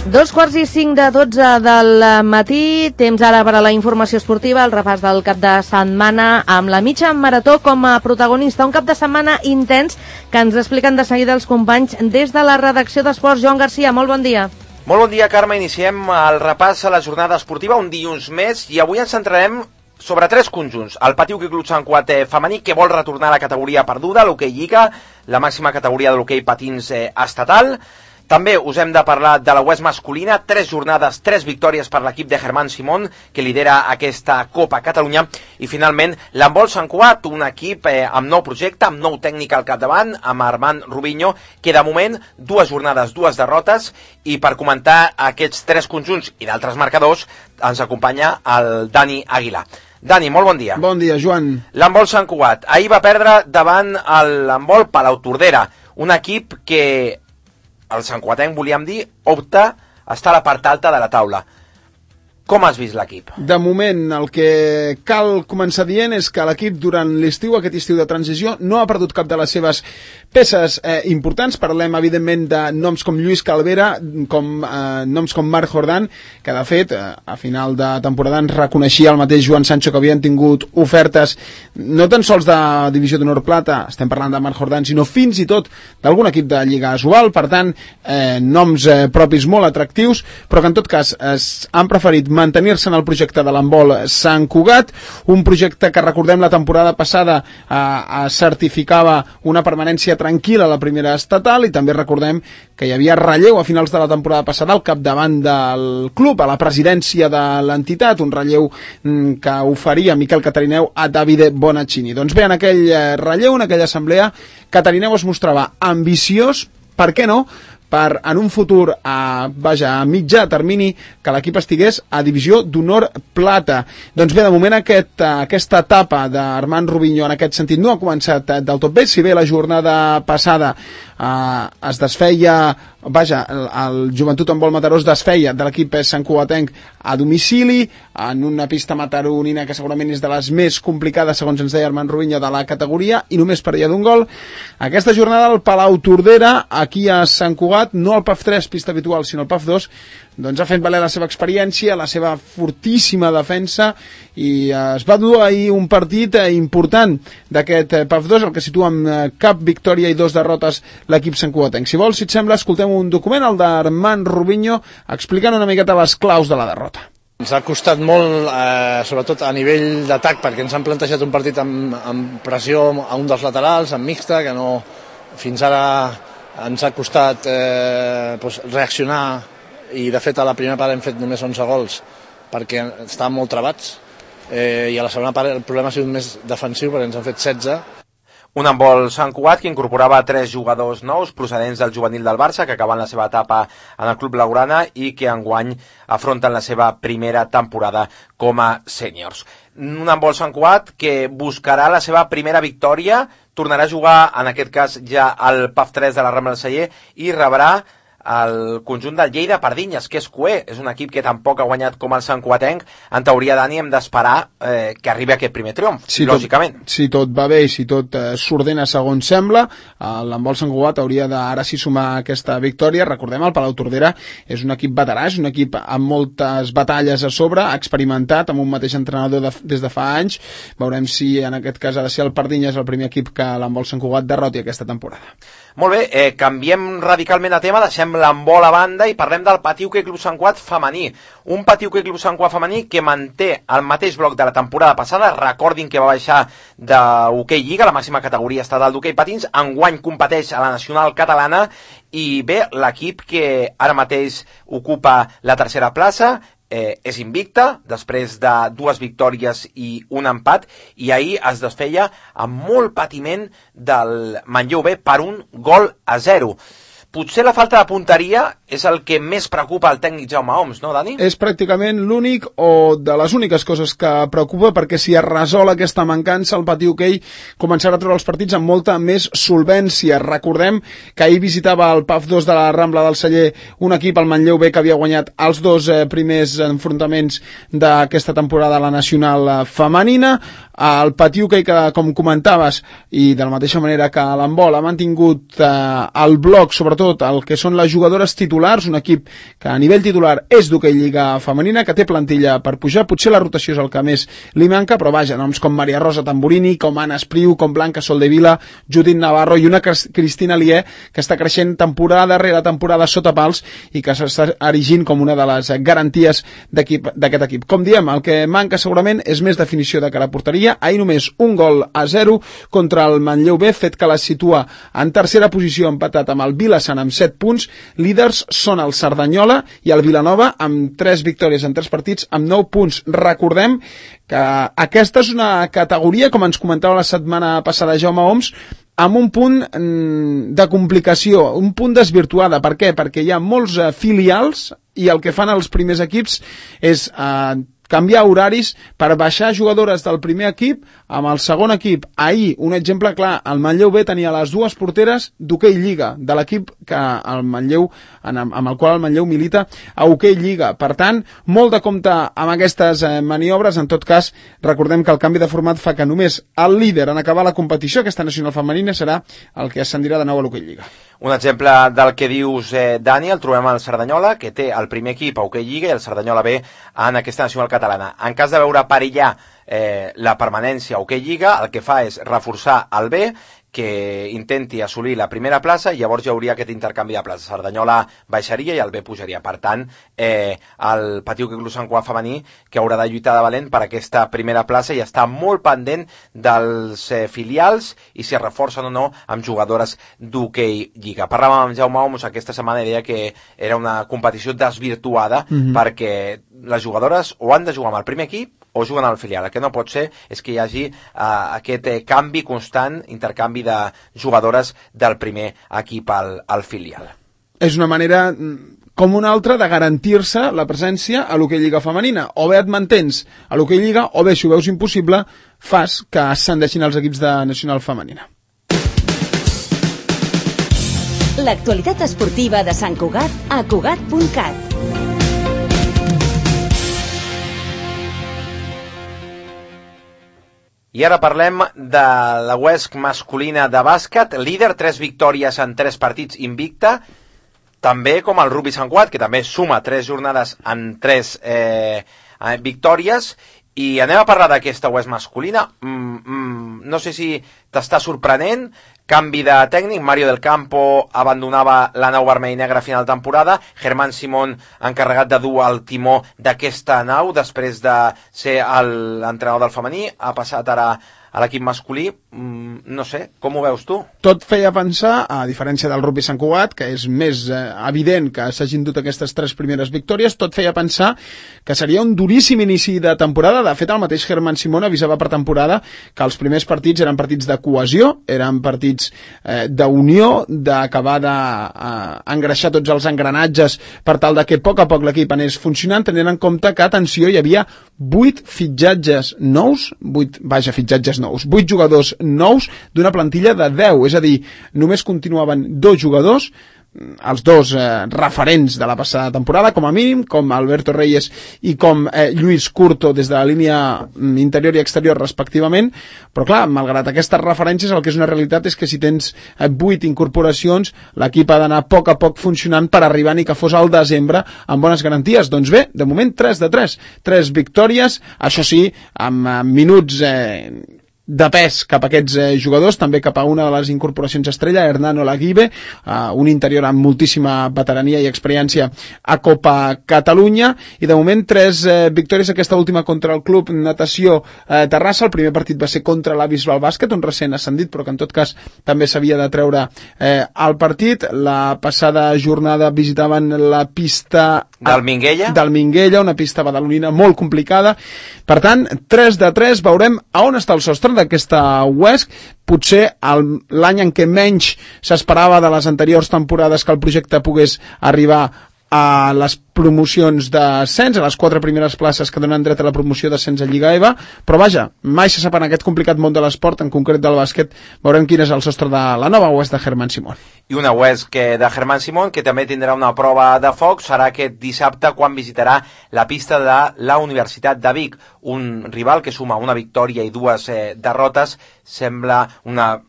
2:45 del matí, temps ara per a la informació esportiva, el repàs del cap de setmana amb la mitja marató com a protagonista. Un cap de setmana intens que ens expliquen de seguida els companys des de la redacció d'Esports. Joan Garcia, molt bon dia. Molt bon dia, Carme. Iniciem el repàs a la jornada esportiva, un dilluns més, i avui ens centrarem sobre tres conjunts. El Patí Hoquei Club Sant Cugat femení, que vol retornar a la categoria perduda, l'hoquei Lliga, la màxima categoria de l'hoquei patins estatal. També us hem de parlar de la UES masculina, 3 jornades, 3 victòries per l'equip de Germán Simón, que lidera aquesta Copa Catalunya. I finalment, l'handbol Sant Cugat, un equip amb nou projecte, amb nou tècnic al capdavant, amb Armand Rubinho, que de moment 2 jornades, 2 derrotes. I per comentar aquests 3 conjunts i d'altres marcadors, ens acompanya el Dani Aguilar. Dani, molt bon dia. Bon dia, Joan. L'handbol Sant Cugat. Ahir va perdre davant l'handbol Palautordera, un equip que el santcugatenc, volíem dir, opta a estar a la part alta de la taula. Com has vist l'equip? De moment, el que cal començar dient és que l'equip durant l'estiu, aquest estiu de transició, no ha perdut cap de les seves peces importants. Parlem, evidentment, de noms com Lluís Calvera, noms com Marc Jordan, que, de fet, a final de temporada ens reconeixia el mateix Joan Sancho que havien tingut ofertes, no tan sols de Divisió d'Honor Plata, estem parlant de Marc Jordan, sinó fins i tot d'algun equip de Lliga Asobal. Per tant, noms propis molt atractius, però que en tot cas han preferit mantenir-se en el projecte de l'handbol Sant Cugat, un projecte que, recordem, la temporada passada certificava una permanència tranquil·la a la primera estatal, i també recordem que hi havia relleu a finals de la temporada passada al capdavant del club, a la presidència de l'entitat, un relleu que oferia Miquel Catarineu a Davide Bonaccini. Doncs bé, en aquell relleu, en aquella assemblea, Catarineu es mostrava ambiciós, per què no?, per en un futur a mitjà termini que l'equip estigués a Divisió d'Honor Plata. Doncs bé, de moment aquesta etapa d'Armand Rubinho en aquest sentit no ha començat del tot bé, si bé la jornada passada es desfeia, el Joventut Handbol Mataró es desfeia de l'equip santcugatenc a domicili, en una pista mataronina que segurament és de les més complicades, segons ens deia Armand Rubinho, de la categoria, i només perdia d'un gol. Aquesta jornada el Palautordera, aquí a Sant Cugat, no el PAF 3, pista habitual, sinó el PAF 2, doncs ha fet valer la seva experiència, la seva fortíssima defensa, i es va dur ahir un partit important d'aquest PAF 2, el que situa amb cap victòria i 2 derrotes l'equip santcugatenc. Si vols, si et sembla, escoltem un document, el d'Armand Rubinho, explicant una miqueta les claus de la derrota. Ens ha costat molt, sobretot a nivell d'atac, perquè ens han plantejat un partit amb pressió a un dels laterals, amb mixta, que no, fins ara ens ha costat reaccionar, i de fet a la primera part hem fet només 11 gols perquè estàvem molt travats, i a la segona part el problema ha sigut més defensiu perquè ens han fet 16. Un handbol Sant Cugat que incorporava 3 jugadors nous procedents del juvenil del Barça, que acaben la seva etapa en el club blaugrana i que enguany afronten la seva primera temporada com a sèniors. Un handbol Sant Cugat que buscarà la seva primera victòria, tornarà a jugar, en aquest cas ja al PAF 3 de la Rambla del Celler, i rebrà el conjunt del Lleida Pardinyes, que és cuer, és un equip que tampoc ha guanyat com el santcugatenc. En teoria, Dani, hem d'esperar que arribi aquest primer triomf, lògicament. Si tot va bé i si tot s'ordena segons sembla, l'handbol Sant Cugat hauria d'ara sí sumar aquesta victòria. Recordem, el Palautordera és un equip veterà, és un equip amb moltes batalles a sobre, experimentat, amb un mateix entrenador des de fa anys. Veurem si en aquest cas ha de ser el Pardinyes el primer equip que l'handbol Sant Cugat derroti aquesta temporada. Molt bé, canviem radicalment de tema, deixem l'handbol a banda i parlem del Patí Hoquei Club Sant Cugat femení. Un Patí Hoquei Club Sant Cugat femení que manté el mateix bloc de la temporada passada. Recordin que va baixar d'hoquei Lliga, la màxima categoria estatal d'hoquei patins. Enguany competeix a la nacional catalana, i bé, l'equip que ara mateix ocupa la tercera plaça, és invicta, després de 2 victòries i un empat, i ahir es desfeia amb molt patiment del Manlleu B per 1-0. Potser la falta de punteria és el que més preocupa el tècnic Jaume Oms, no, Dani? És pràcticament l'únic o de les úniques coses que preocupa, perquè si es resol aquesta mancança, el Patí Hoquei començarà a treure els partits amb molta més solvència. Recordem que ahir visitava el PAF 2 de la Rambla del Celler un equip, el Manlleu B, que havia guanyat els 2 primers enfrontaments d'aquesta temporada a la nacional femenina. El Patí Hoquei, que, com comentaves, i de la mateixa manera que l'handbol, ha mantingut el bloc, sobretot el que són les jugadores titulars titulars, un equip que a nivell titular és d'hoquei lliga femenina, que té plantilla per pujar, potser la rotació és el que més li manca, però vaja, noms com Maria Rosa Tamburini, com Anna Espriu, com Blanca Soldevila, Judit Navarro i una Cristina Lié que està creixent temporada rere temporada sota pals i que s'està erigint com una de les garanties d'aquest equip. Com diem, el que manca segurament és més definició de cara a porteria. Ahir només 1-0 contra el Manlleu B, fet que la situa en tercera posició, empatat amb el Vilassant amb 7 punts. Líders són el Cerdanyola i el Vilanova amb 3 victòries en 3 partits amb 9 punts. Recordem que aquesta és una categoria, com ens comentava la setmana passada Jaume Oms, amb un punt de complicació, un punt desvirtuada. Per què? Perquè hi ha molts filials i el que fan els primers equips és canviar horaris per baixar jugadores del primer equip amb el segon equip. Ahir, un exemple clar, el Manlleu B tenia les 2 porteres d'hoquei lliga, de l'equip que el Manlleu, amb el qual el Manlleu milita a hoquei lliga. Per tant, molt de compte amb aquestes maniobres. En tot cas, recordem que el canvi de format fa que només el líder en acabar la competició, aquesta nacional femenina, serà el que ascendirà de nou a l'hoquei lliga. Un exemple del que dius, Dani, el trobem al Cerdanyola, que té el primer equip a hoquei lliga i el Cerdanyola B en aquesta nacional catalana. En cas de veure perillar la permanència a hoquei lliga, el que fa és reforçar el B, que intenti assolir la primera plaça, i llavors hi hauria aquest intercanvi de places. Cerdanyola baixaria i el B pujaria. Per tant, el Patí Hoquei Club Sant Cugat femení, que haurà de lluitar de valent per aquesta primera plaça i està molt pendent dels filials i si es reforcen o no amb jugadores d'hoquei lliga. Parlàvem amb Jaume Oms aquesta setmana i deia que era una competició desvirtuada perquè les jugadores o han de jugar amb el primer equip o juguen al filial. El que no pot ser és que hi hagi aquest canvi constant, intercanvi de jugadores del primer equip al filial. És una manera com una altra de garantir-se la presència a l'hoquei lliga femenina. O bé et mantens a l'hoquei lliga, o bé, si ho veus impossible, fas que ascendeixin els equips de nacional femenina. L'actualitat esportiva de Sant Cugat a Cugat.cat. I ara parlem de la UESC masculina de bàsquet, líder, 3 victòries en 3 partits invicta, també com el Rugby Sant Cugat, que també suma 3 jornades en 3 victòries. I anem a parlar d'aquesta UESC masculina. No sé si t'està sorprenent. Canvi de tècnic, Mario del Campo abandonava la nau vermell i negra a final de temporada, Germán Simón encarregat de dur el timó d'aquesta nau després de ser l'entrenador del femení, ha passat ara a l'equip masculí. No sé, com ho veus tu? Tot feia pensar, a diferència del Rugby Sant Cugat, que és més evident que s'hagin dut aquestes 3 primeres victòries, tot feia pensar que seria un duríssim inici de temporada. De fet, el mateix Germán Simón avisava per temporada que els primers partits eren partits de cohesió, eren partits d'unió, d'acabar d'engreixar tots els engranatges per tal de que a poc l'equip anés funcionant, tenint en compte que, atenció, hi havia 8 fitxatges nous, 8 jugadors nous d'una plantilla de 10, és a dir, només continuaven 2 jugadors, els 2 referents de la passada temporada, com a mínim, com Alberto Reyes i com Lluís Curto des de la línia interior i exterior respectivament, però clar, malgrat aquestes referències, el que és una realitat és que si tens 8 incorporacions, l'equip ha d'anar a poc funcionant per arribar ni que fos al desembre amb bones garanties. Doncs bé, de moment 3 de 3 victòries, això sí, amb minuts de pes cap a aquests jugadors, també cap a una de les incorporacions estrella, Hernán Olaguibe, un interior amb moltíssima veterania i experiència a Copa Catalunya, i de moment 3 victòries, aquesta última contra el Club Natació Terrassa. El primer partit va ser contra la Bisbal Bàsquet, un recent ascendit, però que en tot cas també s'havia de treure el partit. La passada jornada visitaven la pista del Minguella, una pista badalonina molt complicada. Per tant, 3 de 3, veurem a on està el sostre d'aquesta UESC. Potser l'any en què menys s'esperava de les anteriors temporades que el projecte pogués arribar a les promocions d'ascens, a les 4 primeres places que donen dret a la promoció d'ascens a Lliga EVA, però vaja, mai se sap en aquest complicat món de l'esport, en concret del bàsquet, veurem quin és el sostre de la nova Huesc de Germán Simón. I una Huesc de Germán Simón, que també tindrà una prova de foc, serà aquest dissabte quan visitarà la pista de la Universitat de Vic, un rival que suma una victòria i 2 derrotes, sembla una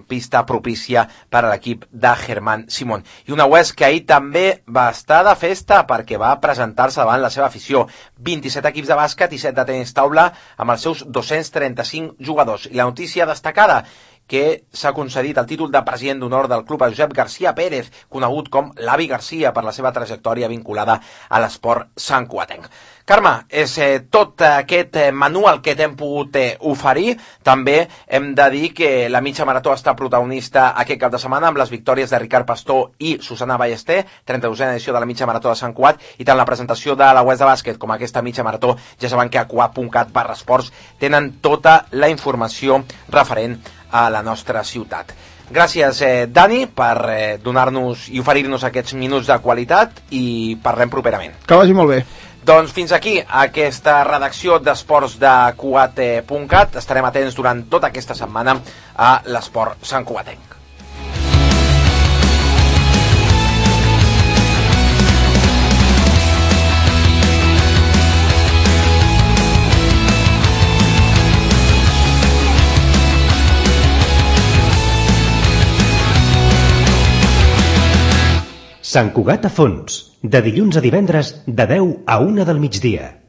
pista propícia per a l'equip de Germán Simón. I una Huesc que ahir també va estar de festa perquè va presentar-se davant la seva afició. 27 equips de bàsquet i 7 de tenis taula amb els seus 235 jugadors. I la notícia destacada, que s'ha concedit el títol de president d'honor del club a Josep García Pérez, conegut com l'Avi García per la seva trajectòria vinculada a l'esport santcugatenc. Carme, és tot aquest menú el que t'hem pogut oferir. També hem de dir que la mitja marató està protagonista aquest cap de setmana amb les victòries de Ricard Pastor i Susana Ballester, 32a edició de la mitja marató de Sant Cugat, i tant la presentació de la Huesc de bàsquet com aquesta mitja marató, ja saben que a cugat.cat/esports tenen tota la informació referent a la nostra ciutat. Gràcies, Dani, per donar-nos i oferir-nos aquests minuts de qualitat, i parlem properament. Que vagi molt bé. Doncs fins aquí aquesta redacció d'esports de Cugat.cat. Estarem atents durant tota aquesta setmana a l'esport santcugatenc. Sant Cugat a fons, de dilluns a divendres, de 10 a 1 del migdia.